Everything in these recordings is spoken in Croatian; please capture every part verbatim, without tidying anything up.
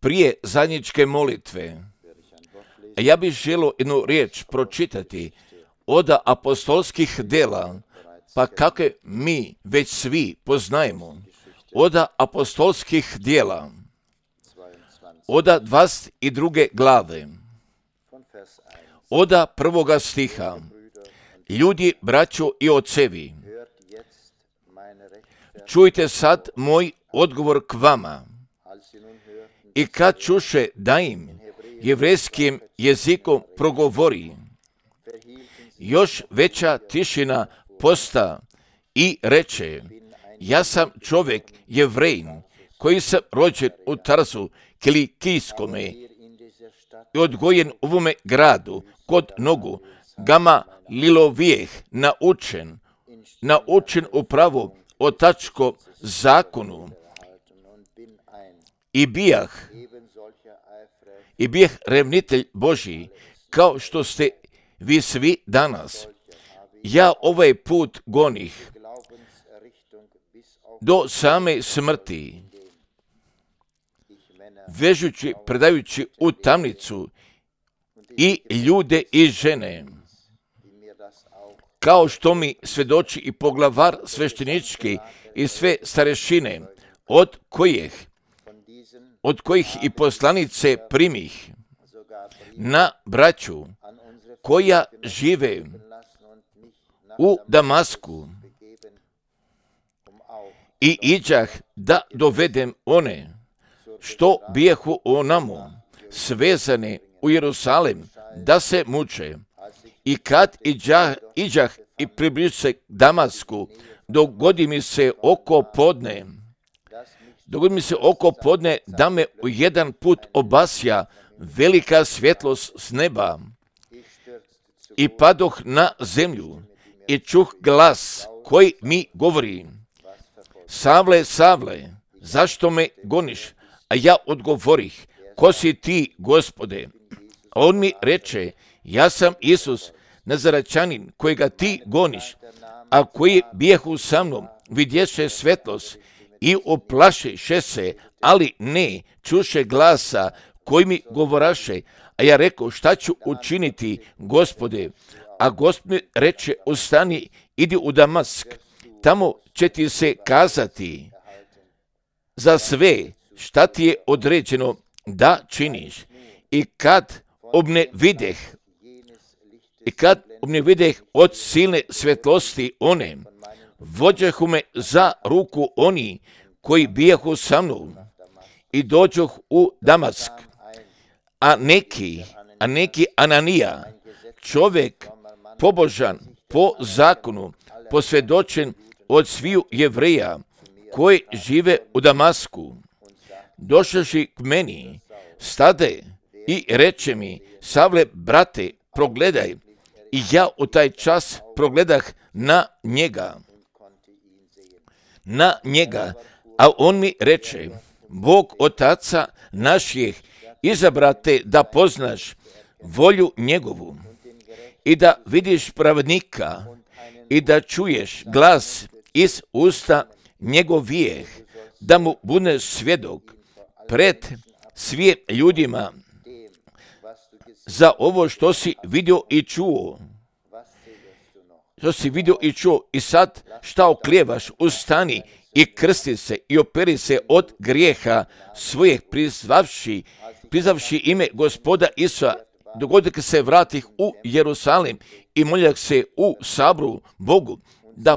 Prije zajedničke molitve, ja bih želio jednu riječ pročitati od apostolskih dela, pa kako mi već svi poznajemo, od apostolskih djela, od dvadeset druge glave, od prvoga stiha. Ljudi, braćo i ocevi, čujte sad moj odgovor k vama. I kad čuše da im jevrejskim jezikom progovori, još veća tišina posta i reče, ja sam čovjek Jevrejin, koji sam rođen u Tarzu Kilikijskome i odgojen u ovome gradu kod nogu Gamalilovijeh, naučen, naučen upravo otačko zakonu i bijah, i bijah revnitelj Božji, kao što ste vi svi danas. Ja ovaj put gonih do same smrti, vežući, predajući u tamnicu i ljude i žene, kao što mi svjedoči i poglavar sveštenički i sve starešine, od kojih, od kojih i poslanice primih na braću koja žive u Damasku, i iđah da dovedem one što bijehu onamo svezane u Jerusalim da se muče. I kad iđah, iđah i približio se Damasku, dogodi mi se oko podne, dogodi mi se oko podne da me u jedan put obasja velika svjetlost s neba i padoh na zemlju i čuh glas koji mi govori, Savle, Savle, zašto me goniš? A ja odgovorih, ko si ti, Gospode? A on mi reče, ja sam Isus, Nazaračanin, kojega ti goniš, a koji bijehu sa mnom, vidješe svetlost i oplašiše se, ali ne čuše glasa koji mi govoraše. A ja rekao, šta ću učiniti, Gospode? A Gospod mi reče, ustani, idi u Damask, tamo će ti se kazati za sve šta ti je određeno da činiš. I kad obne videh, i kad obne videh od silne svjetlosti one, vođehu me za ruku oni koji bijahu sa mnom i dođoh u Damask. A neki, a neki Ananija, čovjek pobožan po zakonu, posvjedočen od sviju Jevreja koji žive u Damasku, došavši k meni, stade i reče mi, Savle, brate, progledaj. I ja u taj čas progledah na njega, na njega, a on mi reče, Bog otaca naših izabrate da poznaš volju njegovu i da vidiš pravednika i da čuješ glas iz usta njegovijeh, da mu budeš svjedok pred svim ljudima za ovo što si vidio i čuo. Što si vidio i čuo i sad šta oklijevaš, ustani i krsti se i operi se od grijeha svojeg, prizvavši, prizvavši ime Gospoda Isusa, dogoditi se vratih u Jerusalim i moljak se u sabru Bogu, da,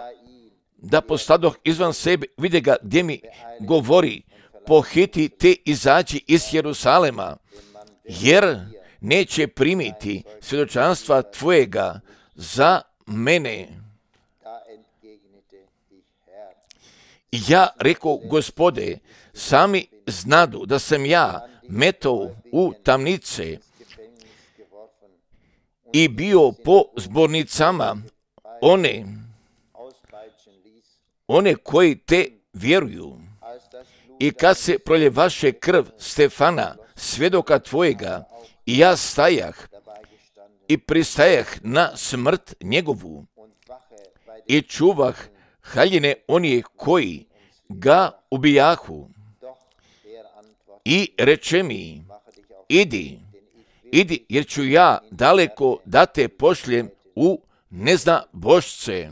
da postadoh izvan sebe, vide ga gdje mi govori, pohiti te izađi iz Jerusalema, jer neće primiti svjedočanstva tvojega za mene. Ja rekao, Gospode, sami znadu da sam ja metao u tamnice i bio po zbornicama one, one koji te vjeruju. I kad se proljevaše krv Stefana, svjedoka tvojega, i ja stajah i pristajah na smrt njegovu i čuvah haljine onih koji ga ubijahu. i reče mi, idi, idi, jer ću ja daleko da te pošljem u neznabošce.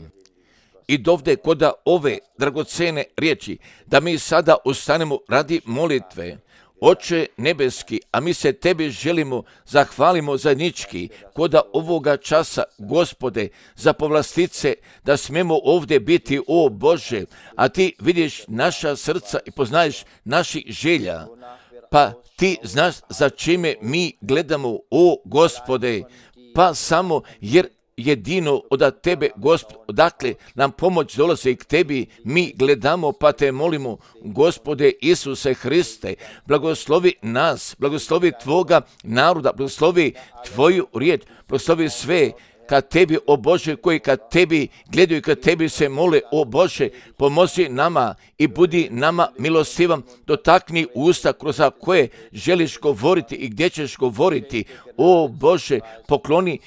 I dovde koda ove dragocene riječi, da mi sada ustanemo radi molitve. Oče nebeski, a mi se tebi želimo, zahvalimo zajednički koda ovoga časa, Gospode, za povlastice, da smemo ovdje biti, o Bože, a ti vidiš naša srca i poznaješ naših želja, pa ti znaš za čime mi gledamo, o Gospode, pa samo jer jedino od tebe, Gospod, odakle nam pomoć dolazi k tebi, mi gledamo, pa te molimo, Gospode Isuse Hriste, blagoslovi nas, blagoslovi tvoga naroda, blagoslovi tvoju riječ, blagoslovi sve kad tebi, o Bože, koji kad tebi gledaju, kad tebi se mole, o Bože, pomozi nama i budi nama milostivan, dotakni usta kroz koje želiš govoriti i gdje ćeš govoriti, o Bože, pokloni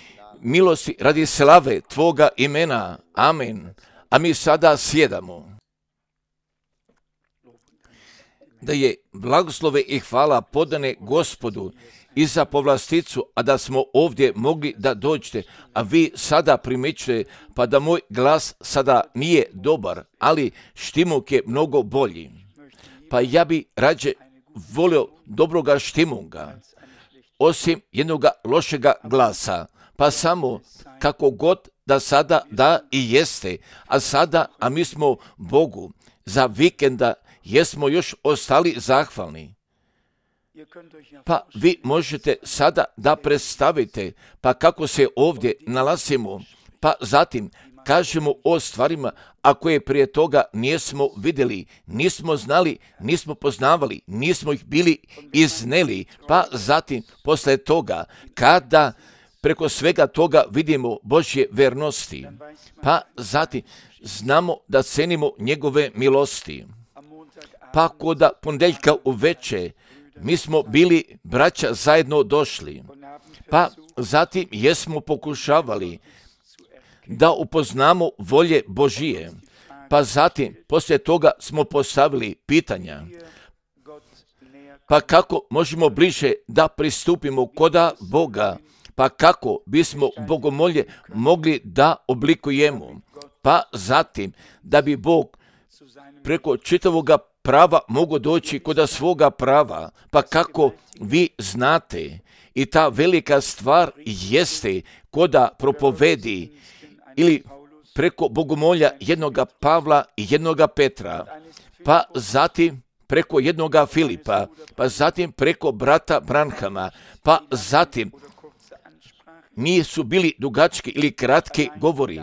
milosti radi slave tvoga imena. Amen. A mi sada sjedamo. Da je blagoslove i hvala podane Gospodu i za povlasticu, a da smo ovdje mogli da dođete, a vi sada primjećujete, pa da moj glas sada nije dobar, ali štimuk je mnogo bolji. Pa ja bi rađe volio dobroga štimunga, osim jednoga lošega glasa. Pa samo kako god da sada da i jeste, a sada, a mi smo Bogu za vikenda, jesmo još ostali zahvalni. Pa vi možete sada da predstavite, pa kako se ovdje nalazimo, pa zatim kažemo o stvarima, a koje prije toga nismo vidjeli, nismo znali, nismo poznavali, nismo ih bili izneli, pa zatim posle toga, kada preko svega toga vidimo Božje vernosti, pa zatim znamo da cenimo njegove milosti. Pa koda ponedjeljka uveče mi smo bili braća zajedno došli, pa zatim jesmo pokušavali da upoznamo volje Božije, pa zatim poslije toga smo postavili pitanja, pa kako možemo bliže da pristupimo koda Boga, pa kako bismo bogomolje mogli da oblikujemo, pa zatim da bi Bog preko čitavoga prava mogo doći koda svoga prava, pa kako vi znate i ta velika stvar jeste koda propovedi ili preko bogomolja jednoga Pavla i jednoga Petra, pa zatim preko jednoga Filipa, pa zatim preko brata Branhama, pa zatim nisu bili dugački ili kratki govori,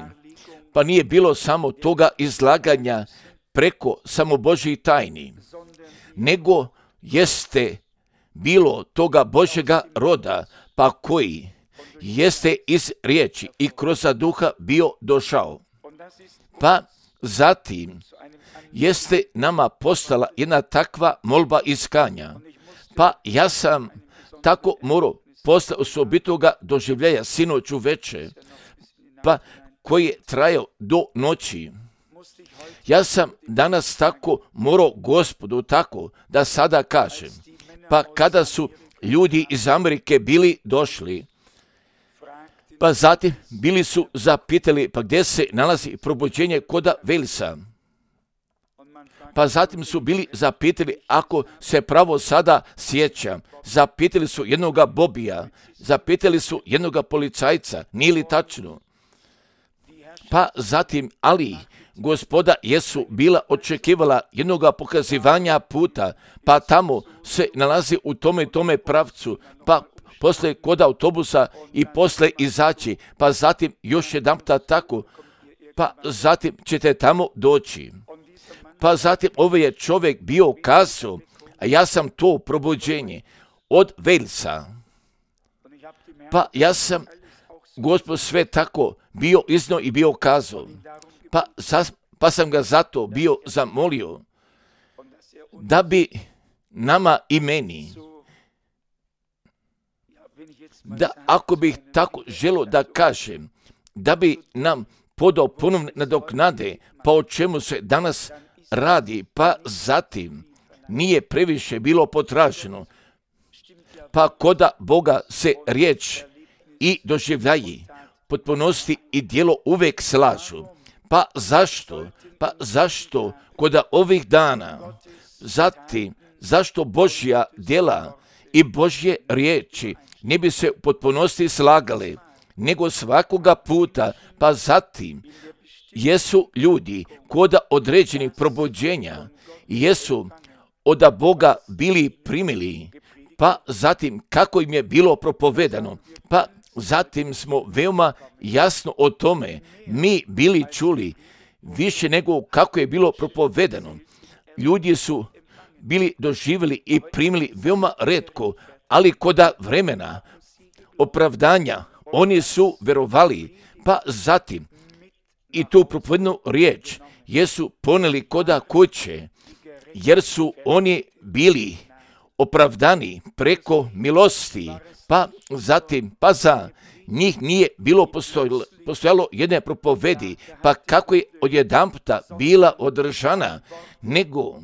pa nije bilo samo toga izlaganja preko samo Božjih tajni, nego jeste bilo toga Božjega roda, pa koji jeste iz riječi i kroz duha bio došao. Pa zatim jeste nama postala jedna takva molba iskanja, pa ja sam tako morao posle osobitoga doživljaja sinoć uveče, pa koji je trajao do noći. Ja sam danas tako morao Gospodu tako da sada kažem, pa kada su ljudi iz Amerike bili došli, pa zatim bili su zapitali pa gdje se nalazi probuđenje koda Velsa. Pa zatim su bili zapitali, ako se pravo sada sjećam, zapitali su jednoga Bobija, zapitali su jednoga policajca, nije li tačno? Pa zatim, ali Gospoda Jesu bila očekivala jednoga pokazivanja puta, pa tamo se nalazi u tome i tome pravcu, pa posle kod autobusa i posle izaći, pa zatim još jedanputa tako, pa zatim ćete tamo doći. Pa zatim ovaj je čovjek bio kazao, a ja sam to probuđenje od Velsa. Pa ja sam, Gospod, sve tako bio iznio i bio kazao. Pa, pa sam ga zato bio zamolio da bi nama i meni, da ako bih tako želio da kažem, da bi nam podao ponovne nadoknade, pa o čemu se danas radi, pa zatim nije previše bilo potraženo. Pa koda Boga se riječ i doživljaji, potpunosti i djelo uvijek slažu. Pa zašto? Pa zašto koda ovih dana, zatim zašto Božja djela i Božje riječi ne bi se u potpunosti slagali, nego svakoga puta, pa zatim jesu ljudi koda određenih probuđenja, jesu od Boga bili primili, pa zatim kako im je bilo propovedano, pa zatim smo veoma jasno o tome mi bili čuli više nego kako je bilo propovedano. Ljudi su bili doživjeli i primili veoma retko, ali koda vremena opravdanja oni su verovali, pa zatim i tu propovednu riječ jesu poneli koda kuće, jer su oni bili opravdani preko milosti, pa zatim, pa za njih nije bilo postojalo, postojalo jedne propovedi, pa kako je odjedanputa bila održana, nego,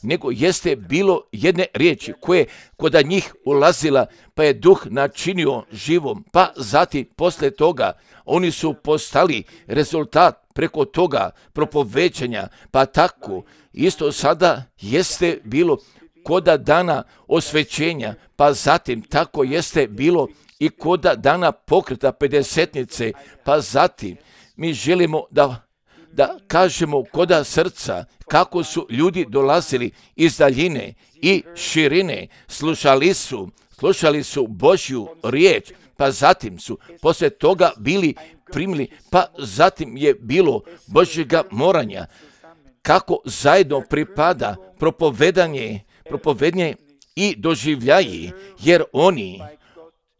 nego jeste bilo jedne riječi koje koda njih ulazila, pa je duh načinio živom, pa zatim posle toga oni su postali rezultat preko toga propoveđanja, pa tako isto sada jeste bilo koda dana osvećenja, pa zatim tako jeste bilo i koda dana pokreta pedesetnice, pa zatim mi želimo da, da kažemo koda srca kako su ljudi dolazili iz daljine i širine, slušali su, slušali su Božju riječ, pa zatim su poslije toga bili primili, pa zatim je bilo Božjega moranja, kako zajedno pripada propovedanje, propovedanje i doživljaji, jer oni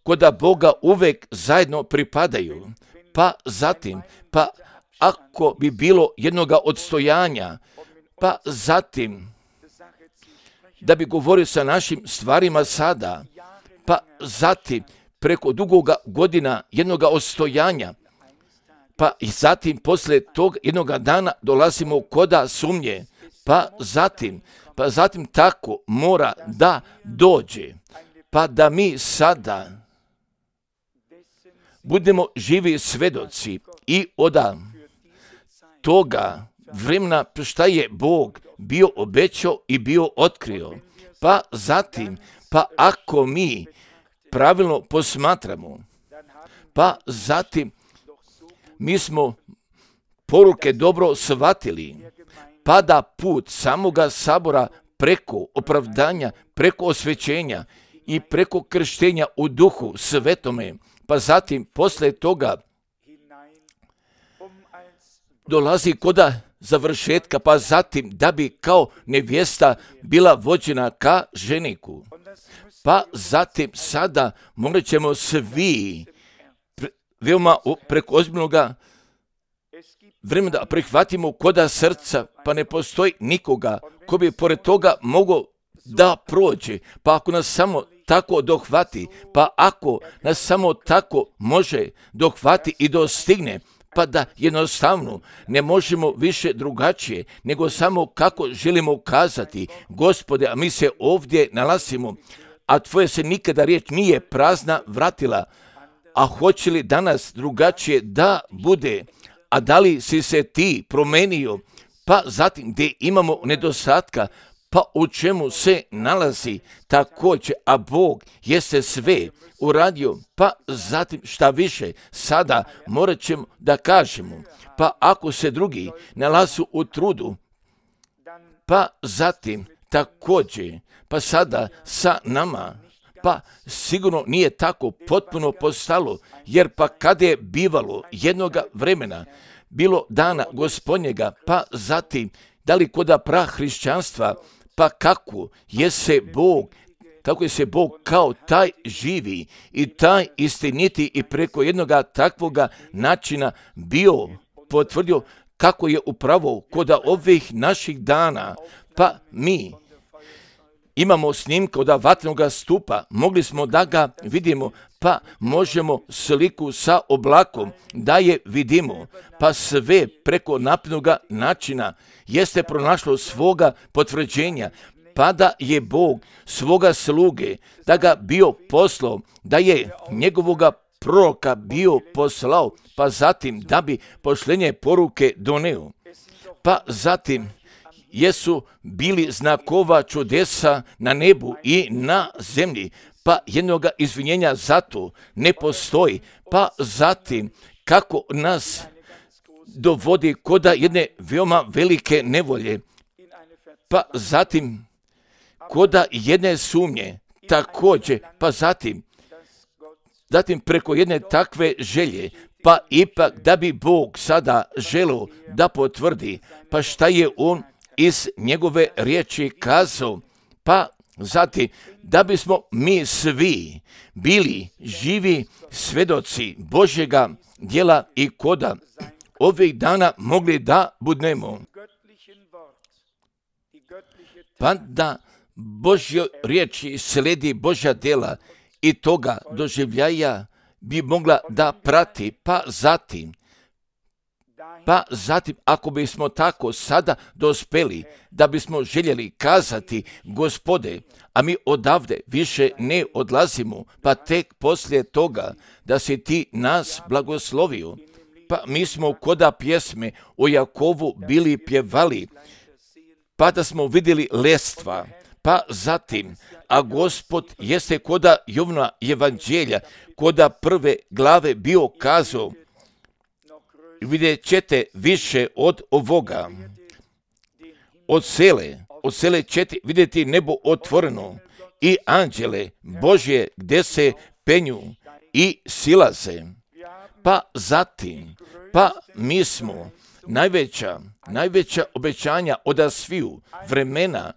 koda Boga uvek zajedno pripadaju, pa zatim, pa ako bi bilo jednoga odstojanja, pa zatim, da bi govorio sa našim stvarima sada, pa zatim, preko dugoga godina jednoga odstojanja, pa i zatim poslije tog jednoga dana dolazimo koda sumnje, pa zatim, pa zatim tako mora da dođe, pa da mi sada budemo živi svedoci i od toga vremena šta je Bog bio obećao i bio otkrio. Pa zatim, pa ako mi pravilno posmatramo, pa zatim mi smo poruke dobro shvatili, pa da put samoga sabora preko opravdanja, preko osvećenja i preko krštenja u duhu svetome, pa zatim posle toga dolazi koda završetka, pa zatim da bi kao nevjesta bila vođena ka ženiku. Pa zatim sada morat ćemo svi pre, veoma preko ozbiljnoga vremena da prihvatimo koda srca, pa ne postoji nikoga ko bi pored toga mogao da prođe, pa ako nas samo tako dohvati, pa ako nas samo tako može dohvati i dostigne, pa da jednostavno ne možemo više drugačije, nego samo kako želimo kazati, Gospode, a mi se ovdje nalazimo, a tvoja se nikada riječ nije prazna vratila, a hoće li danas drugačije da bude, a da li si se ti promenio, pa zatim gdje imamo nedostatka, pa u čemu se nalazi također, a Bog jeste sve uradio, pa zatim šta više, sada morat ćemo da kažemo, pa ako se drugi nalazu u trudu, pa zatim također, pa sada sa nama, pa sigurno nije tako potpuno postalo, jer pa kada je bivalo jednoga vremena, bilo dana Gospodnjega, pa zatim, da li koda prahrišćanstva, pa kako je se Bog, kako je se Bog kao taj živi i taj istiniti i preko jednoga takvoga načina bio potvrdio kako je upravo koda ovih naših dana, pa mi imamo snimka od vatrenog stupa, mogli smo da ga vidimo, pa možemo sliku sa oblakom da je vidimo, pa sve preko naprednog načina jeste pronašlo svoga potvrđenja, pa da je Bog svoga sluge, da ga bio poslao, da je njegovoga proroka bio poslao, pa zatim da bi pošlenje poruke doneo. Pa zatim jesu bili znakova čudesa na nebu i na zemlji, pa jednoga izvinjenja zato ne postoji. Pa zatim kako nas dovodi koda jedne veoma velike nevolje, pa zatim koda jedne sumnje također, pa zatim zatim preko jedne takve želje, pa ipak da bi Bog sada želio da potvrdi, pa šta je on iz njegove riječi kazao, pa zatim da bismo mi svi bili živi svedoci Božjega djela i koda ovih dana mogli da budemo. Pa da Božjoj riječi sledi Božja djela i toga doživljaja bi mogla da prati, pa zatim, pa zatim ako bismo tako sada dospeli, da bismo željeli kazati, Gospode, a mi odavde više ne odlazimo, pa tek poslije toga da si ti nas blagoslovio. Pa mi smo koda pjesme o Jakovu bili pjevali, pa da smo vidjeli lestva, pa zatim, a Gospod jeste koda Jovna evanđelja, koda prve glave bio kazao, vidjet ćete više od ovoga. Od sele, od sele ćete vidjeti nebo otvoreno i anđele Božje gdje se penju i silaze. Pa zatim, pa mi smo najveća, najveća obećanja od sviju vremena,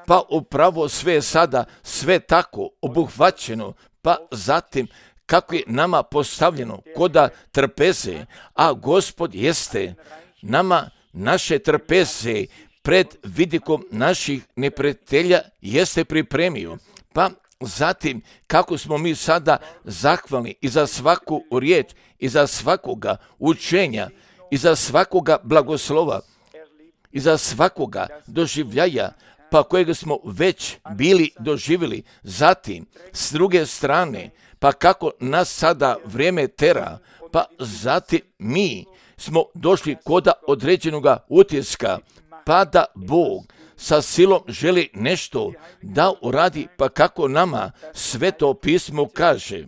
pa upravo sve je sada sve tako obuhvaćeno, pa zatim kako je nama postavljeno koda trpeze, a Gospod jeste nama naše trpeze pred vidikom naših neprijatelja jeste pripremio. Pa zatim kako smo mi sada zahvalni i za svaku riječ, i za svakoga učenja, i za svakoga blagoslova, i za svakoga doživljaja, pa kojega smo već bili doživjeli. Zatim, s druge strane, pa kako nas sada vrijeme tera, pa zatim mi smo došli koda određenoga utiska, pa da Bog sa silom želi nešto da uradi, pa kako nama Sveto pismo kaže,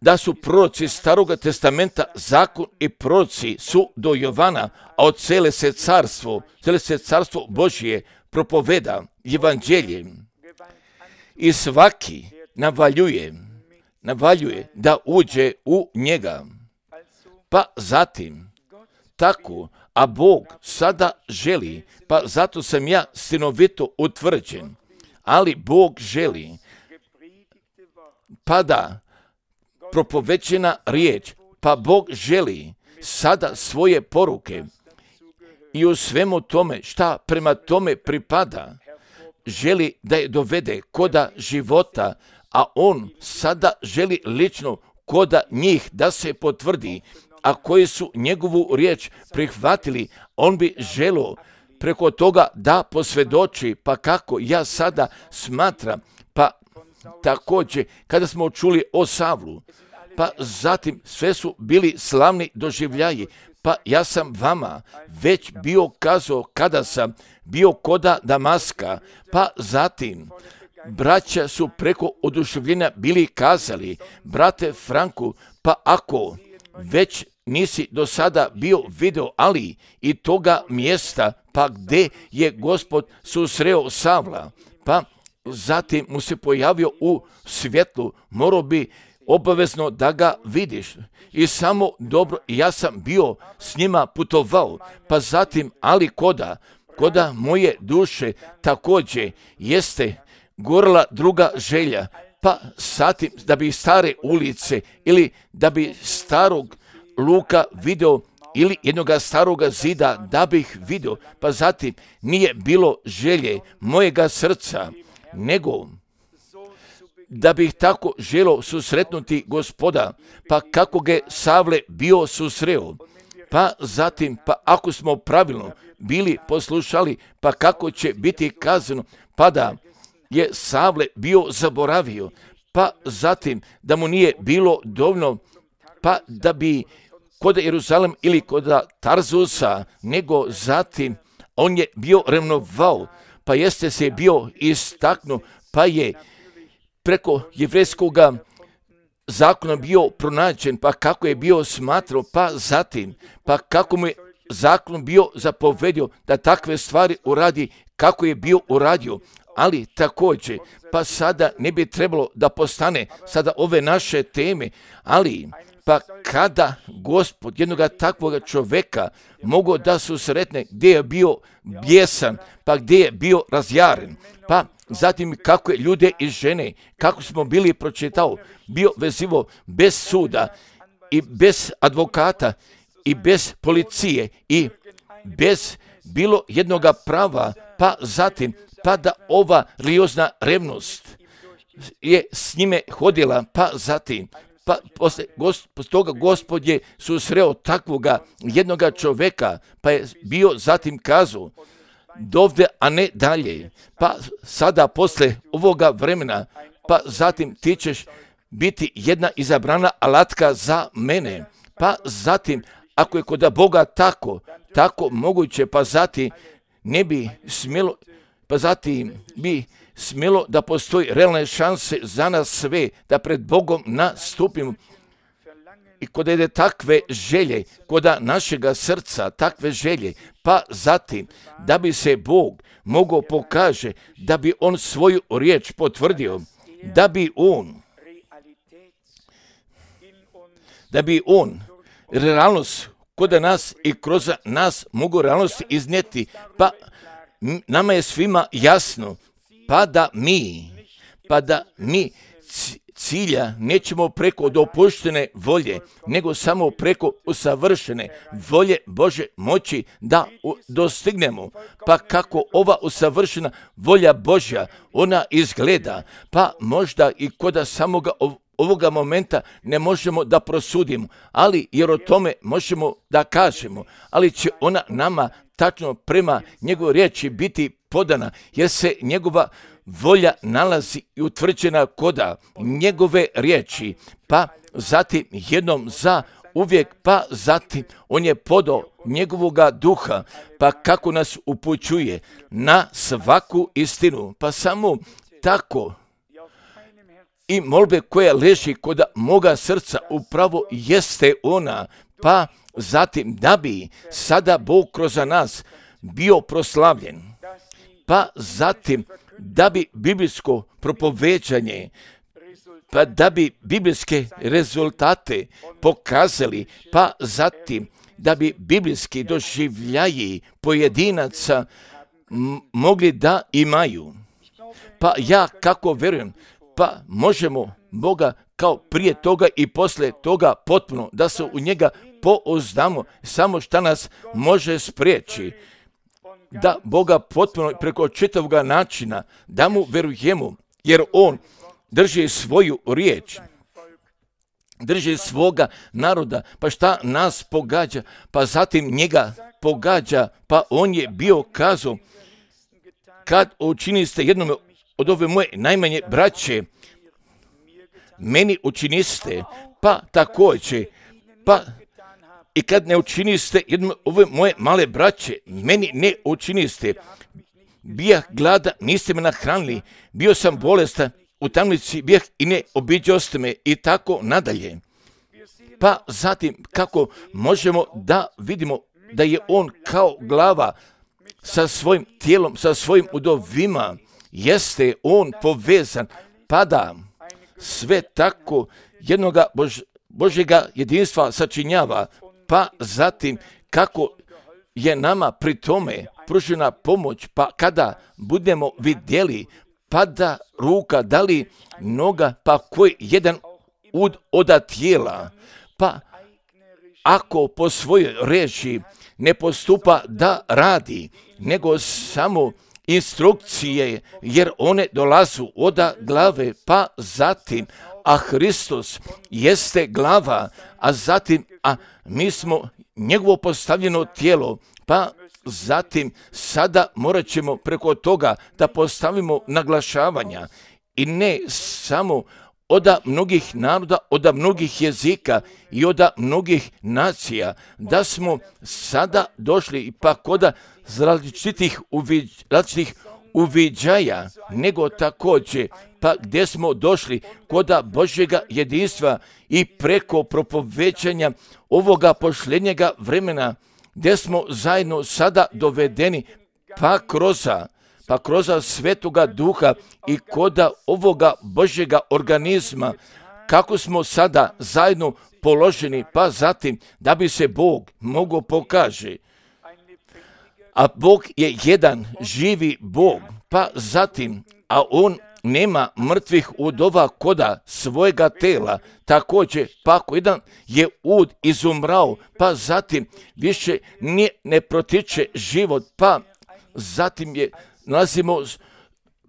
da su proroci Staroga testamenta, zakon i proroci su do Jovana, a od cele se carstvo, cele se carstvo Božje propoveda evanđeljem. I svaki navaljuje, navaljuje da uđe u njega. Pa zatim, tako, a Bog sada želi, pa zato sam ja sinovito utvrđen, ali Bog želi, pa da propovećena riječ, pa Bog želi sada svoje poruke i u svemu tome šta prema tome pripada, želi da je dovede koda života, a on sada želi lično koda njih da se potvrdi, a koji su njegovu riječ prihvatili, on bi želio preko toga da posvjedoči, pa kako ja sada smatram, pa također kada smo čuli o Savlu, pa zatim sve su bili slavni doživljaji, pa ja sam vama već bio kazao kada sam bio koda Damaska, pa zatim braća su preko oduševljenja bili kazali, brate Franku, pa ako već nisi do sada bio video, ali i toga mjesta, pa gdje je Gospod susreo Savla, pa zatim mu se pojavio u svjetlu, morao bi obavezno da ga vidiš. I samo dobro, ja sam bio s njima putovao, pa zatim, ali koda, koda moje duše također jeste gorila druga želja, pa zatim da bi stare ulice ili da bi starog luka video ili jednoga staroga zida da bih vidio, pa zatim nije bilo želje mojega srca, nego da bih tako želio susretnuti Gospoda, pa kako ga Savle bio susreo. pa zatim, pa ako smo pravilno bili poslušali, pa kako će biti kazano, pa da je Savle bio zaboravio, pa zatim da mu nije bilo dovoljno, pa da bi kod Jeruzalem ili kod Tarzusa, nego zatim on je bio revnovao, pa jeste se bio istaknuo, pa je preko jevrejskog zakona bio pronađen, pa kako je bio smatrao, pa zatim, pa kako mu je zakon bio zapovedio da takve stvari uradi, kako je bio uradio, ali također, pa sada ne bi trebalo da postane sada ove naše teme, ali pa kada Gospod jednoga takvoga čoveka mogo da susretne gdje je bio bijesan, pa gdje je bio razjaren, pa zatim kako je ljude i žene, kako smo bili pročitao, bio vezivo bez suda i bez advokata i bez policije i bez bilo jednoga prava, pa zatim pa da ova religiozna revnost je s njime hodila, pa zatim pa posle gosp- toga Gospod je susreo takvoga jednoga čoveka, pa je bio zatim kazao dovde, a ne dalje, pa sada posle ovoga vremena, pa zatim ti ćeš biti jedna izabrana alatka za mene, pa zatim ako je kod Boga tako, tako moguće, pa zatim ne bi smjelo, pa zatim bi smjelo da postoji realne šanse za nas sve, da pred Bogom nastupimo. I kod ide takve želje, kod našega srca, takve želje, pa zatim da bi se Bog mogao pokaže, da bi On svoju riječ potvrdio, da bi On, da bi On realnost kod nas i kroz nas mogu realnost iznijeti, pa nama je svima jasno, pa da mi, pa da mi cilja nećemo preko dopuštene volje, nego samo preko usavršene volje Bože moći da dostignemo. Pa kako ova usavršena volja Božja, ona izgleda, pa možda i kod samoga ovoga momenta ne možemo da prosudimo, ali jer o tome možemo da kažemo, ali će ona nama tačno prema njegovoj riječi biti podana, jer se njegova volja nalazi i utvrđena koda njegove riječi, pa zatim jednom za uvijek, pa zatim on je podao njegovoga duha, pa kako nas upućuje na svaku istinu, pa samo tako i molbe koja leži kod moga srca upravo jeste ona, pa zatim da bi sada Bog kroz nas bio proslavljen, pa zatim da bi biblijsko propoveđanje, pa da bi biblijske rezultate pokazali, pa zatim da bi biblijski doživljaji pojedinaca m- mogli da imaju. Pa ja kako vjerujem, pa možemo Boga kao prije toga i posle toga potpuno da se u njega pouzdamo, samo šta nas može spriječi da Boga potpuno preko čitavog načina da mu verujemo, jer on drži svoju riječ, drži svoga naroda, pa šta nas pogađa, pa zatim njega pogađa, pa on je bio kazao, kad učiniste jednome od ove moje najmanje braće, meni učiniste, pa također, pa i kad ne učiniste jednom ove moje male braće, meni ne učiniste. Bijah glada, niste me nahranili, bio sam bolestan, u tamnici bijah i ne obiđoste me i tako nadalje. Pa zatim kako možemo da vidimo da je on kao glava sa svojim tijelom, sa svojim udovima, jeste on povezan, pa da sve tako jednoga Bož, Božjega jedinstva sačinjava, pa zatim kako je nama pri tome pružena pomoć, pa kada budemo vidjeli, pa da ruka, da li noga, pa koji jedan ud oda tijela, pa ako po svojoj reči ne postupa da radi, nego samo instrukcije, jer one dolazu oda glave, pa zatim, a Hristos jeste glava, a zatim, a mi smo njegovo postavljeno tijelo, pa zatim sada morat ćemo preko toga da postavimo naglašavanja i ne samo od mnogih naroda, od mnogih jezika i od mnogih nacija, da smo sada došli pa kod različitih, uviđ, različitih uviđaja, nego također pa gdje smo došli kod Božjega jedinstva i preko propovećanja ovoga posljednjega vremena, gdje smo zajedno sada dovedeni pa kroz pa kroz Svetoga Duha i kod ovoga Božjega organizma, kako smo sada zajedno položeni, pa zatim da bi se Bog mogao pokaže. A Bog je jedan živi Bog, pa zatim, a On nema mrtvih udova koda svojega tela, također pa ako jedan je ud izumrao, pa zatim više ne, ne protiče život, pa zatim je nalazimo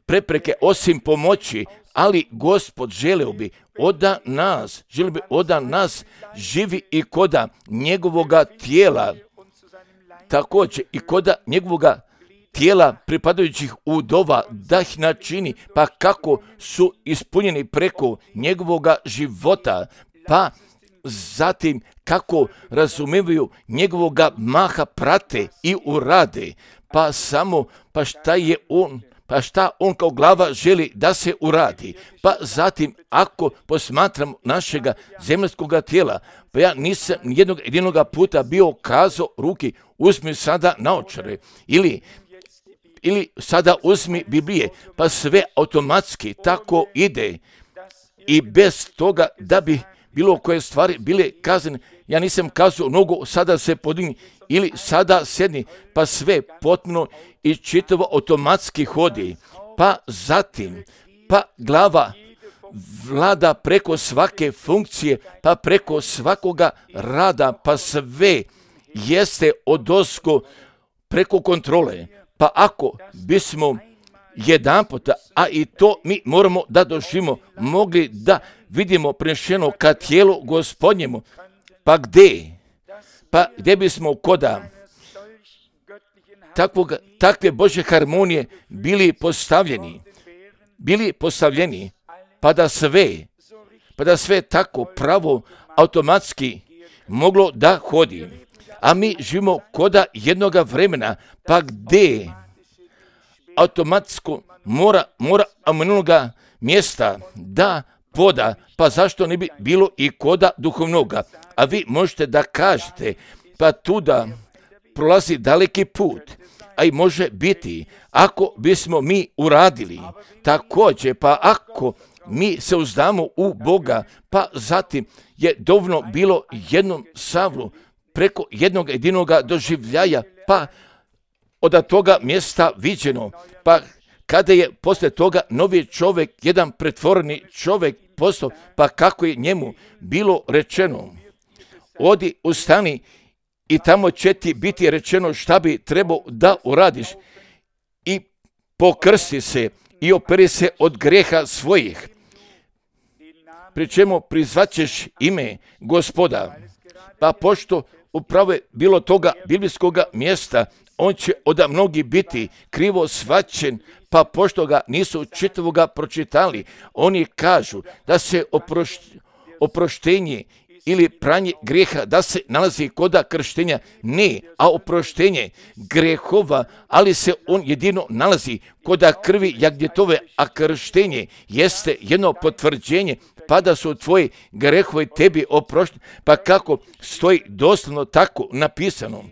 prepreke osim pomoći, ali Gospod želeo bi od nas, želeo bi od nas živi i koda njegovoga tijela, također i koda njegovoga tijela pripadajućih udova, da ih načini, pa kako su ispunjeni preko njegovoga života, pa zatim kako razumijevaju njegovoga maha prate i urade, pa samo, pa šta je on, pa šta on kao glava želi da se uradi. Pa zatim, ako posmatram našega zemaljskoga tijela, pa ja nisam jednog jedinoga puta bio kazao ruki, uzmi sada naočare, ili ili sada uzmi Biblije, pa sve automatski tako ide i bez toga da bi bilo koje stvari bile kazane. Ja nisam kazao nogu, sada se podigni ili sada sedni, pa sve potpuno i čitavo automatski hodi. Pa zatim, pa glava vlada preko svake funkcije, pa preko svakoga rada, pa sve jeste odozgo preko kontrole. Pa ako bismo jedan puta, a i to mi moramo da doživimo, mogli da vidimo prenešeno ka tijelu Gospodnjemu, pa gdje? Pa gdje bismo koda takvog, takve Božje harmonije bili postavljeni, bili postavljeni, pa da sve, pa da sve tako pravo automatski moglo da hodi. A mi živimo koda jednoga vremena, pa gdje automatsko mora, mora aminunoga mjesta da poda, pa zašto ne bi bilo i koda duhovnoga? A vi možete da kažete, pa tuda prolazi daleki put, a i može biti, ako bismo mi uradili, također, pa ako mi se uzdamo u Boga, pa zatim je dovoljno bilo jednom Savlu, preko jednog jedinoga doživljaja, pa od toga mjesta viđeno, pa kada je poslije toga novi čovjek, jedan pretvoreni čovjek postao, pa kako je njemu bilo rečeno, odi, ustani i tamo će ti biti rečeno šta bi trebao da uradiš i pokrsti se i operi se od greha svojih, pri čemu prizvaćeš ime Gospoda, pa pošto upravo je bilo toga biblijskoga mjesta, on će od mnogi biti krivo shvaćen, pa pošto ga nisu čitavoga pročitali, oni kažu da se oproš, oproštenje ili pranje grijeha da se nalazi koda krštenja. Ne, a oproštenje grehova, ali se on jedino nalazi koda krvi jagnjetove, a krštenje jeste jedno potvrđenje pa da su tvoji grehovi tebi oprošteni, pa kako stoji doslovno tako napisano.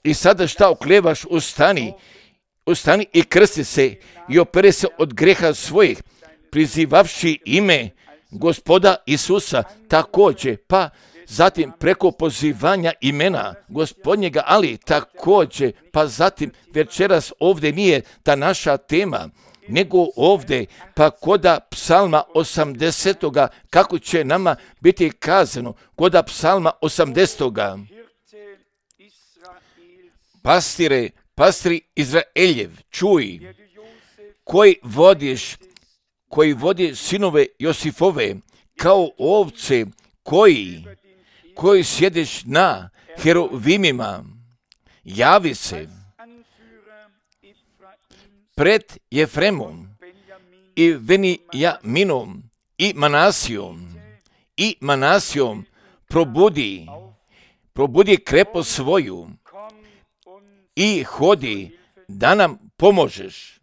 I sada šta oklevaš, ustani, ustani i krsti se i opere se od greha svojih, prizivavši ime Gospoda Isusa također, pa zatim preko pozivanja imena Gospodnjega, ali također, pa zatim večeras ovdje nije ta naša tema, nego ovdje, pa koda psalma osamdesetoga, kako će nama biti kazano, koda psalma osamdesetoga. Pastire, pastri Izraeljev, čuj, koji vodiš, koji vodi sinove Josifove, kao ovce, koji, koji sjediš na heruvimima, javi se pred Jefremom i Venijaminom i Manasijom i Manasijom probudi, probudi krepost svoju i hodi da nam pomožeš.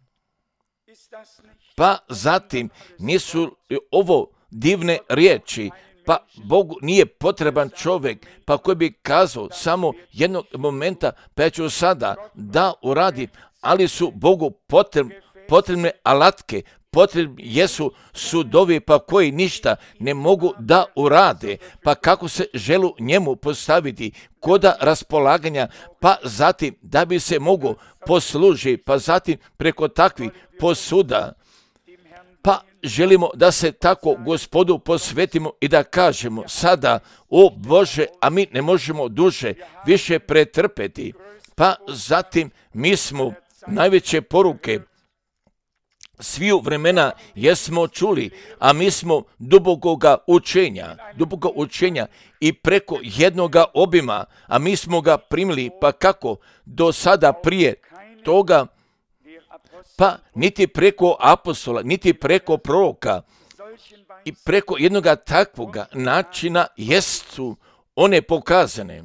Pa zatim nisu ovo divne riječi, pa Bogu nije potreban čovjek, pa koji bi kazao samo jednog momenta, pa ja ću sada da uradim, ali su Bogu potrebne, potrebne alatke, potrebni jesu sudovi, pa koji ništa ne mogu da urade, pa kako se želu njemu postaviti koda raspolaganja, pa zatim da bi se mogo posluži, pa zatim preko takvih posuda, pa želimo da se tako Gospodu posvetimo i da kažemo sada, o Bože, a mi ne možemo duže više pretrpeti, pa zatim mi smo najveće poruke sviju vremena jesmo čuli, a mi smo dubokoga učenja, duboko učenja i preko jednoga obima, a mi smo ga primili, pa kako do sada prije toga, pa niti preko apostola, niti preko proroka i preko jednoga takvoga načina jesu one pokazane.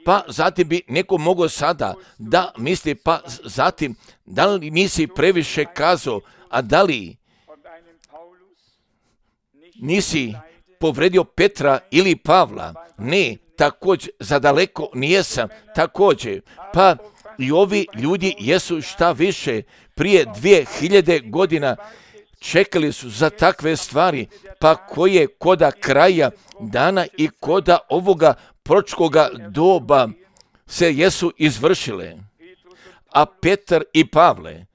Pa zatim bi neko mogao sada da misli, pa zatim da li nisi previše kazao, a da li nisi povredio Petra ili Pavla? Ne, također, za daleko nijesam, također, pa i ovi ljudi jesu šta više prije dvije hiljade godina čekali su za takve stvari, pa koje koda kraja dana i koda ovoga proročkoga doba se jesu izvršile. A Petar i Pavle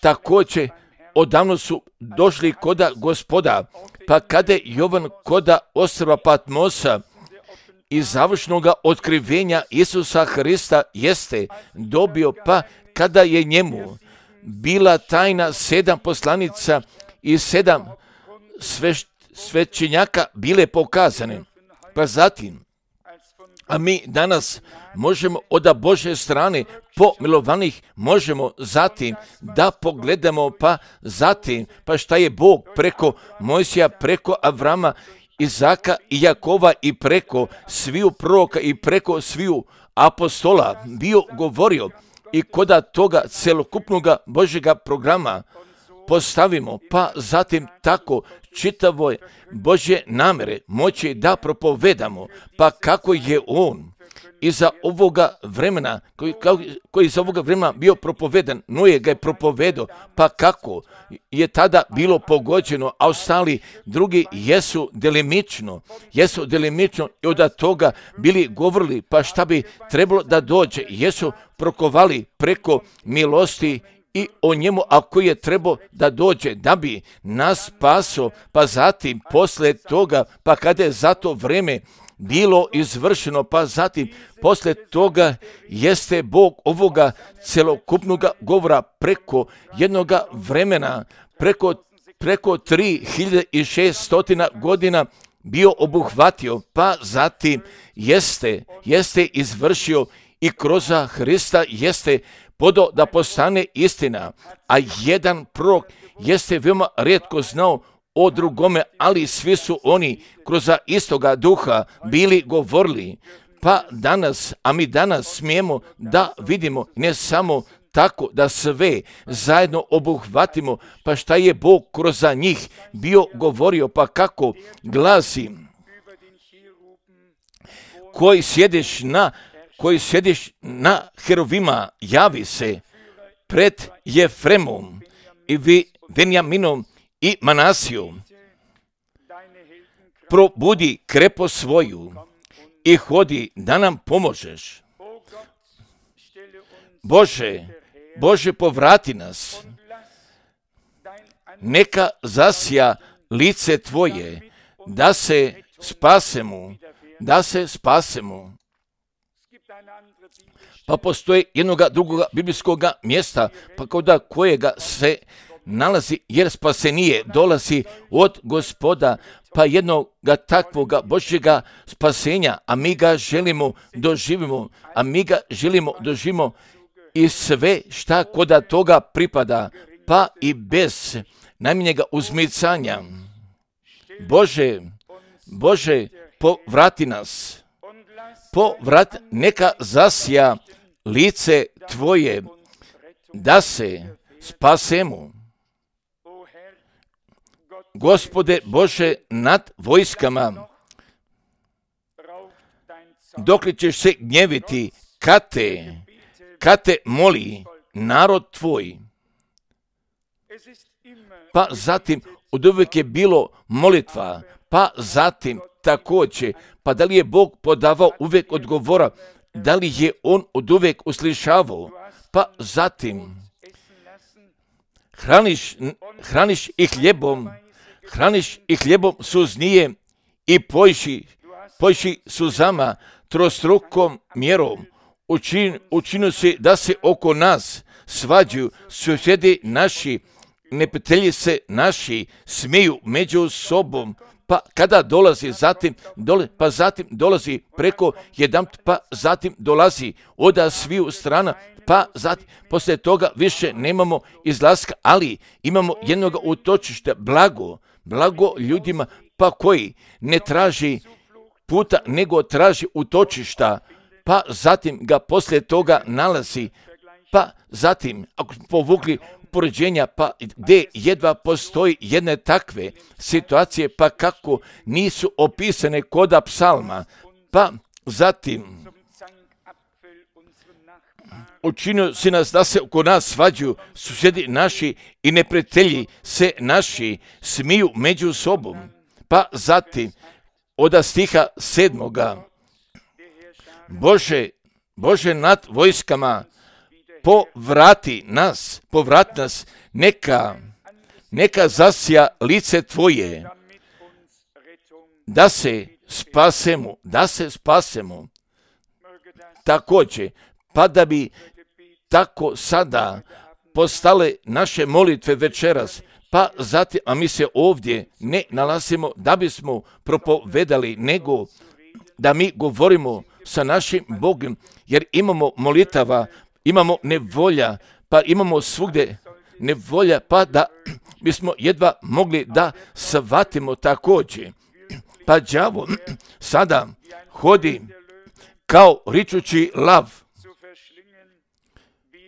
također odavno su došli koda Gospoda, pa kada je Jovan koda ostrva Patmosa i završnoga otkrivenja Isusa Hrista jeste dobio, pa kada je njemu bila tajna sedam poslanica i sedam sveš, svećenjaka bile pokazane, pa zatim, a mi danas možemo od Božje strane pomilovanih možemo zatim da pogledamo, pa zatim, pa šta je Bog preko Mojsija, preko Avrama, Izaka i Jakova i preko sviju proroka i preko sviju apostola bio govorio i koda toga celokupnoga Božjega programa postavimo, pa zatim tako čitavoj Božje namere moći da propovedamo, pa kako je on iza ovoga vremena, koji, koji iza ovoga vremena bio propovedan, Noe ga je propovedao, pa kako je tada bilo pogođeno, a ostali drugi jesu delimično, jesu delimično i od toga bili govorili, pa šta bi trebalo da dođe, jesu prokovali preko milosti i o njemu, a koji je trebao da dođe, da bi nas spaso, pa zatim posle toga, pa kada je za to vreme bilo izvršeno, pa zatim posle toga jeste Bog ovoga celokupnoga govora preko jednoga vremena, preko, preko tri hiljade šesto godina bio obuhvatio, pa zatim jeste, jeste izvršio i kroz Hrista jeste podao da postane istina, a jedan prorok jeste veoma rijetko znao o drugome, ali svi su oni kroz istoga duha bili govorili, pa danas, a mi danas smijemo da vidimo ne samo tako da sve zajedno obuhvatimo, pa šta je Bog kroz njih bio govorio, pa kako glasi, koji sjediš na koji sjediš na heruvima, javi se pred Jefremom i Venijaminom i Manasijom. Probudi krepost svoju i hodi da nam pomožeš. Bože, Bože, povrati nas. Neka zasja lice Tvoje, da se spasemo, da se spasemo. Pa postoji jednoga drugoga biblijskoga mjesta, pa koda kojega se nalazi, jer spasenije dolazi od Gospoda, pa jednoga takvoga Božjega spasenja, a mi ga želimo doživimo, a mi ga želimo doživimo i sve šta koda toga pripada, pa i bez najmanjega uzmicanja. Bože, Bože, povrati nas, povrat, neka zasja lice Tvoje, da se spasemo. Gospode Bože nad vojskama, dok li ćeš se gnjeviti, kad te, kad te moli narod Tvoj. Pa zatim od uvijek je bilo molitva, pa zatim također, pa da li je Bog podavao uvijek odgovora, da li je On od uvijek uslišavao, pa zatim hraniš, hraniš ih hljebom, hraniš ih hljebom suznije i pojši, pojši suzama trostrukom mjerom. Učin, učinu se da se oko nas svađaju susjedi naši, neprijatelji se naši smiju među sobom, pa kada dolazi zatim, dole, pa zatim dolazi preko jedan, pa zatim dolazi od sviju strana, pa zatim poslije toga više nemamo izlaska, ali imamo jednog utočišta, blago, blago ljudima, pa koji ne traži puta, nego traži utočišta, pa zatim ga poslije toga nalazi, pa zatim, ako smo povukli upoređenja, pa gdje jedva postoji jedne takve situacije, pa kako nisu opisane koda psalma, pa zatim učinio si nas da se oko nas svađaju susjedi naši i neprijatelji se naši smiju među sobom, pa zatim od stiha sedmoga, Bože, Bože nad vojskama, povrati nas, povrati nas, neka, neka zasja lice Tvoje, da se spasemo, da se spasemo. Također, pa da bi tako sada postale naše molitve večeras, pa zatim, a mi se ovdje ne nalazimo da bismo propovedali, nego da mi govorimo sa našim Bogom, jer imamo molitava, imamo nevolja, pa imamo svugdje nevolja, pa da bismo jedva mogli da shvatimo također. Pa đavo sada hodi kao ričući lav,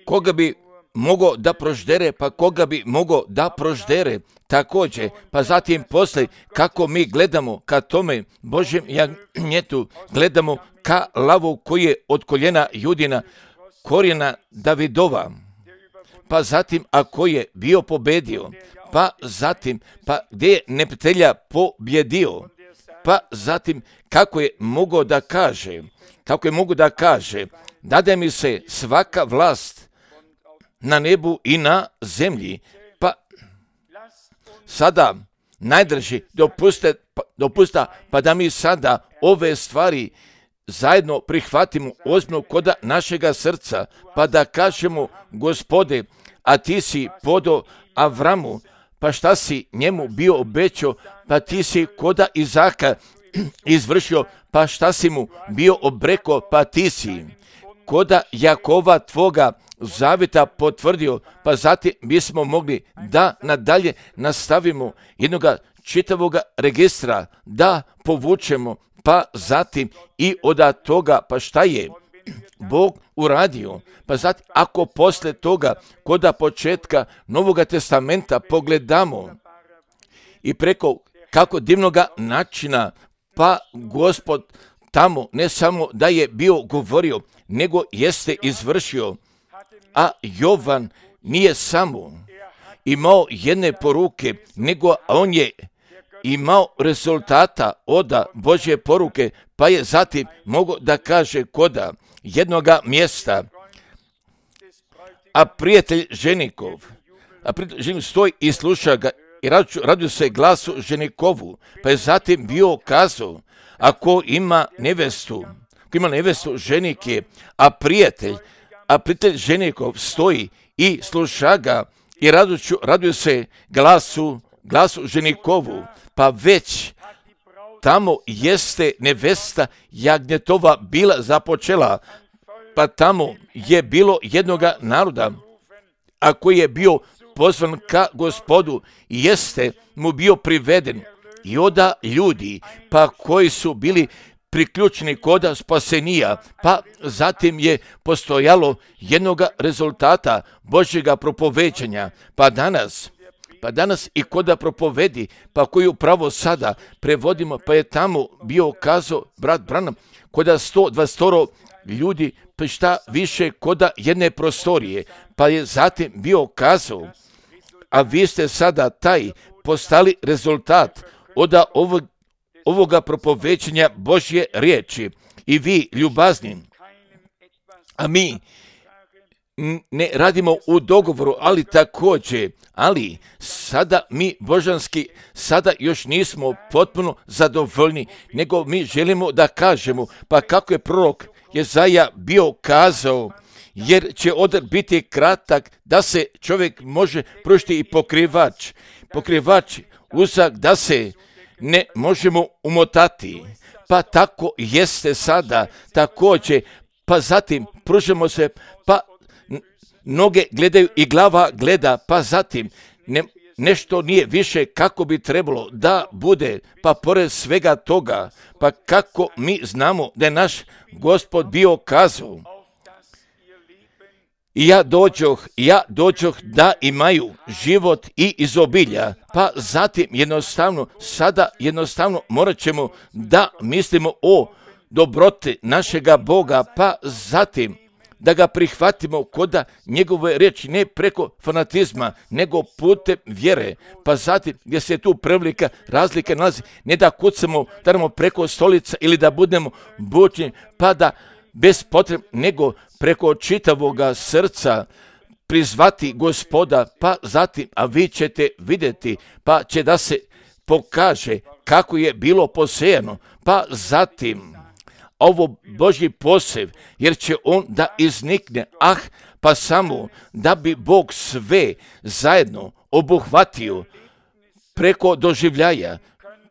koga bi mogao da proždere, pa koga bi mogao da proždere također, pa zatim poslije kako mi gledamo ka tome Božjem jagnjetu, gledamo ka lavu koji je od koljena Judina, korijena Davidova, pa zatim ako je bio pobedio, pa zatim pa gdje je neprijatelja pobjedio, pa zatim kako je mogao da kaže, kako je mogao da kaže, dade mi se svaka vlast na nebu i na zemlji, pa sada najdrži dopuste, pa, dopusta, pa da mi sada ove stvari zajedno prihvatimo ozbiljno koda našega srca, pa da kažemo, Gospode, a ti si podo Avramu, pa šta si njemu bio obećao, pa ti si koda Izaka izvršio, pa šta si mu bio obreko, pa ti si koda Jakova tvoga zavjeta potvrdio, pa zatim bismo mogli da nadalje nastavimo jednoga čitavoga registra, da povučemo, pa zatim i od toga, pa šta je Bog uradio, pa zatim ako posle toga koda početka Novoga testamenta pogledamo i preko kako divnoga načina, pa Gospod tamo ne samo da je bio govorio, nego jeste izvršio, a Jovan nije samo imao jedne poruke, nego on je imao rezultata od Božje poruke, pa je zatim mogao da kaže koda jednoga mjesta, a prijatelj ženikov, a prijatelj ženikov stoji i sluša ga i radio se glasu ženikovu, pa je zatim bio kazao, ako ima nevestu, ako ima nevestu ženik je, a prijatelj, a prijatelj ženikov stoji i sluša ga i raduću, raduju se glasu, glasu ženikovu, pa već tamo jeste nevesta jagnjetova bila započela, pa tamo je bilo jednoga naroda, a koji je bio pozvan ka Gospodu, jeste mu bio priveden i oda ljudi, pa koji su bili priključeni koda spasenija, pa zatim je postojalo jednoga rezultata Božjega propoveđanja, pa danas, pa danas i koda propovedi, pa koju upravo sada prevodimo, pa je tamo bio kazao brat Branham, koda sto dvadeset ljudi, pa šta više koda jedne prostorije, pa je zatim bio kazao, a vi ste sada taj postali rezultat oda ovog, ovoga propoveđenja Božje riječi i vi ljubazni, a mi ne radimo u dogovoru, ali također, ali sada mi božanski, sada još nismo potpuno zadovoljni, nego mi želimo da kažemo, pa kako je prorok Jezaja bio kazao, jer će odar biti kratak da se čovjek može pružiti i pokrivač, pokrivač uzak da se ne možemo umotati, pa tako jeste sada također, pa zatim pružimo se, pa noge gledaju i glava gleda, pa zatim ne, nešto nije više kako bi trebalo da bude, pa pored svega toga, pa kako mi znamo da je naš Gospod bio kazao, i ja dođoh, ja dođoh da imaju život i izobilja, pa zatim jednostavno, sada jednostavno morat ćemo da mislimo o dobroti našega Boga, pa zatim da ga prihvatimo koda njegove riječi, ne preko fanatizma, nego putem vjere, pa zatim gdje se tu prevelika razlika nalazi, ne da kucamo, da radimo preko stolica ili da budemo bučni, pa da bez potrebe, nego preko čitavoga srca prizvati Gospoda, pa zatim, a vi ćete vidjeti, pa će da se pokaže kako je bilo posejano, pa zatim ovo Božji posev, jer će on da iznikne, ah, pa samo da bi Bog sve zajedno obuhvatio preko doživljaja,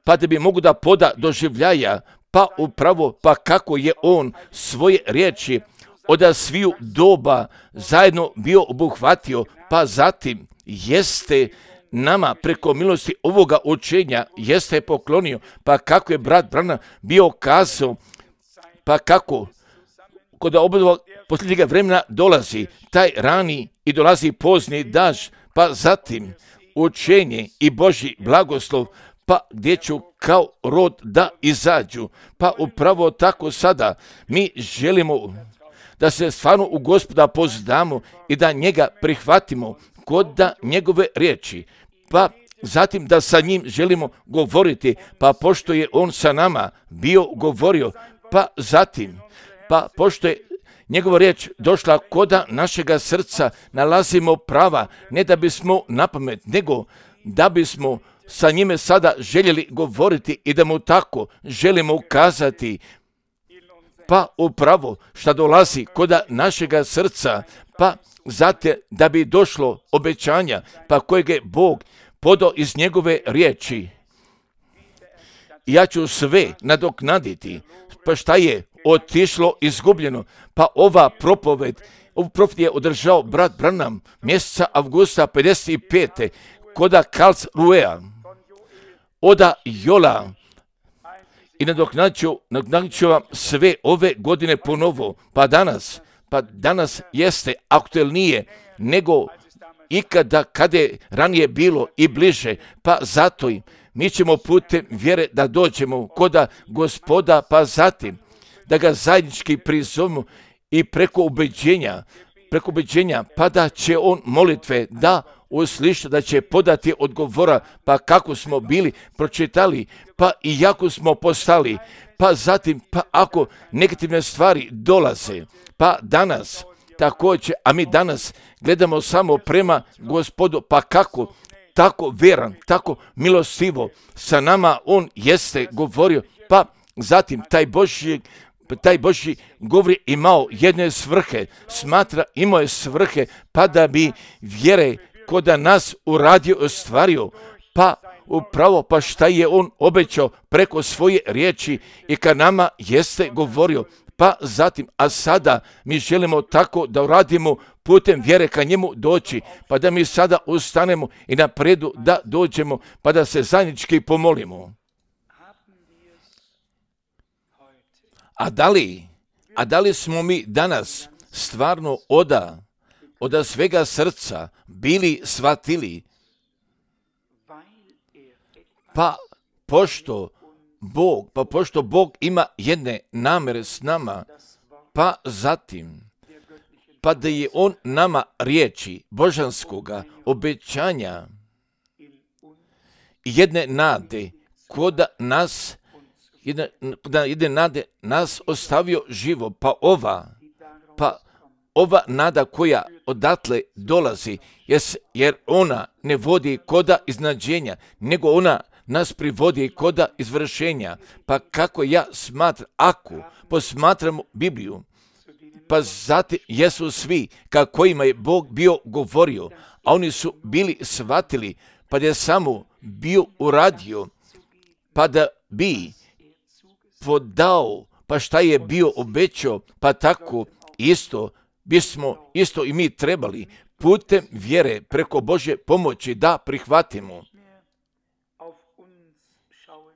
pa da bi mogu da poda doživljaja, pa upravo, pa kako je on svoje riječi od sviju doba zajedno bio obuhvatio, pa zatim jeste nama preko milosti ovoga učenja jeste poklonio, pa kako je brat Branham bio kazao, pa kako kod obodova posljednjega vremena dolazi taj rani i dolazi pozni daž, pa zatim učenje i Božji blagoslov, pa gdje ću kao rod da izađu, pa upravo tako sada mi želimo da se stvarno u Gospoda pozdamo i da njega prihvatimo kod da njegove riječi, pa zatim da sa njim želimo govoriti, pa pošto je on sa nama bio govorio, pa zatim, pa pošto je njegova riječ došla koda našega srca, nalazimo prava, ne da bismo napamet, nego da bismo sa njime sada željeli govoriti i da mu tako želimo ukazati, pa upravo što dolazi koda našega srca, pa zato da bi došlo obećanja, pa kojeg je Bog podao iz njegove riječi. Ja ću sve nadoknaditi, pa šta je otišlo izgubljeno, pa ova propoved, ovu propoved je održao brat Branham mjeseca avgusta pedeset pete koda Karlsruhea, oda Jola, i nadoknadit ću, nadoknadit ću vam sve ove godine ponovo, pa danas, pa danas jeste aktuelnije nego ikada kada je ranije bilo i bliže, pa zato i mi ćemo putem vjere da dođemo koda Gospoda, pa zatim da ga zajednički prizovemo i preko ubeđenja, preko ubeđenja, pa da će on molitve da usliša, da će podati odgovora, pa kako smo bili pročitali, pa i jako smo postali, pa zatim, pa ako negativne stvari dolaze, pa danas također, a mi danas gledamo samo prema Gospodu, pa kako, tako veran, tako milostivo sa nama on jeste govorio, pa zatim taj Božji taj Božji govor imao jedne svrhe, smatra imao je svrhe, pa da bi vjere ko da nas uradio, ostvario, pa upravo pa šta je on obećao preko svoje riječi i ka nama jeste govorio. Pa zatim, a sada mi želimo tako da uradimo putem vjere ka njemu doći, pa da mi sada ustanemo i napredu da dođemo, pa da se zajednički pomolimo. A da li, a da li smo mi danas stvarno oda, oda svega srca bili shvatili? Pa pošto Bog, pa pošto Bog ima jedne namere s nama, pa zatim, pa da je On nama riječi božanskoga obećanja jedne nade, koda nas, jedne, jedne nade nas ostavio živo, pa ova, pa ova nada koja odatle dolazi, jer ona ne vodi koda iznadženja, nego ona nas privodi koda izvršenja. Pa kako ja smatram, ako posmatramo Bibliju, pa zatim jesu svi ka kojima je Bog bio govorio, a oni su bili shvatili, pa da je samo bio uradio, pa da bi podao, pa šta je bio obećao, pa tako isto bismo isto i mi trebali putem vjere preko Božje pomoći da prihvatimo.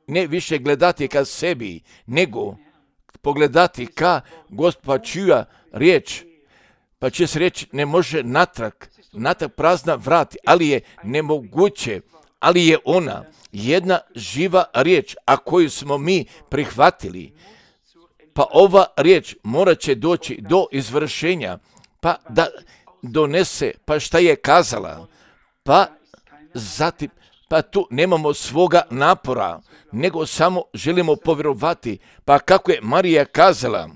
Ne više gledati ka sebi, nego pogledati ka Gospoda čija riječ, pa će se reći ne može natrag, natrag prazna vrati, ali je nemoguće, ali je ona jedna živa riječ, a koju smo mi prihvatili. Pa ova riječ morat će doći do izvršenja, pa da donese, pa šta je kazala, pa zatim, pa tu nemamo svoga napora, nego samo želimo povjerovati. Pa kako je Marija kazala,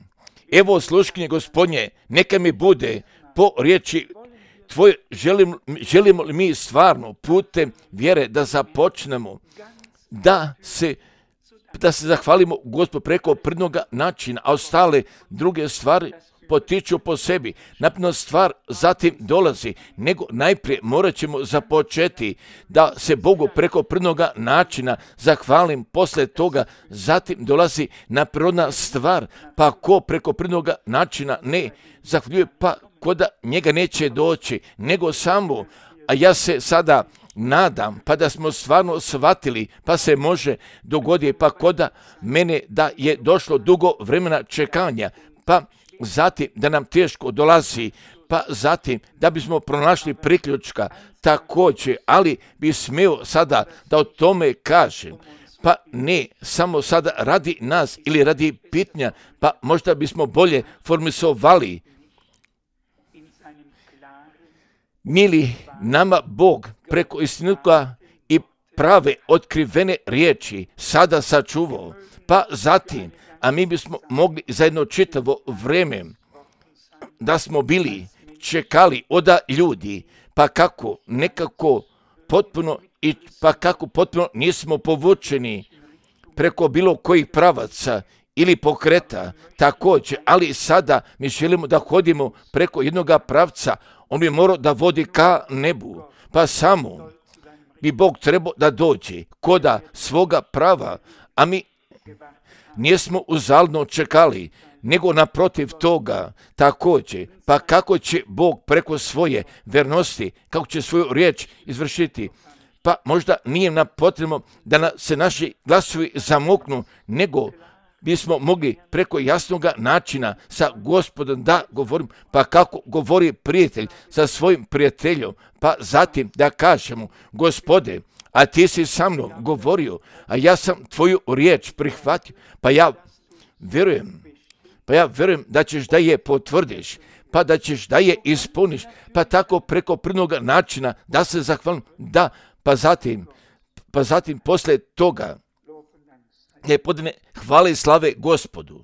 evo sluškinje Gospodnje, neka mi bude po riječi tvoje, želimo, želimo li mi stvarno putem vjere da započnemo, da se, da se zahvalimo Gospodu preko prvnoga načina, a ostale druge stvari potiču po sebi. Napredna stvar zatim dolazi, nego najprije morat ćemo započeti da se Bogu preko prvnoga načina zahvalim, posle toga zatim dolazi napredna stvar, pa ko preko prvnoga načina ne zahvaljuje, pa ko da njega neće doći, nego samo, a ja se sada nadam, pa da smo stvarno shvatili, pa se može dogoditi, pa koda mene da je došlo dugo vremena čekanja, pa zatim da nam teško dolazi, pa zatim da bismo pronašli priključka također, ali bi smio sada da o tome kažem, pa ne samo sada radi nas ili radi pitanja, pa možda bismo bolje formisovali. Mili nama Bog preko istinutka i prave otkrivene riječi sada sačuvao, pa zatim, a mi bismo mogli za jedno čitavo vreme da smo bili čekali oda ljudi, pa kako nekako potpuno i pa kako potpuno nismo povučeni preko bilo kojih pravaca ili pokreta također, ali sada mi želimo da hodimo preko jednoga pravca, on bi morao da vodi ka nebu, pa samo bi Bog trebao da dođe koda svoga prava, a mi nismo uzaludno čekali, nego naprotiv toga također, pa kako će Bog preko svoje vernosti, kako će svoju riječ izvršiti, pa možda nije nam potrebno da na, se naši glasovi zamuknu, nego bismo mogli preko jasnog načina sa Gospodom da govorim, pa kako govori prijatelj sa svojim prijateljom, pa zatim da kažemo, Gospode, a ti si sa mnom govorio, a ja sam tvoju riječ prihvatio, pa ja vjerujem, pa ja vjerujem da ćeš da je potvrdiš, pa da ćeš da je ispuniš, pa tako preko prvnog načina da se zahvalim, da, pa zatim, pa zatim posle toga ne podne hvale i slave Gospodu.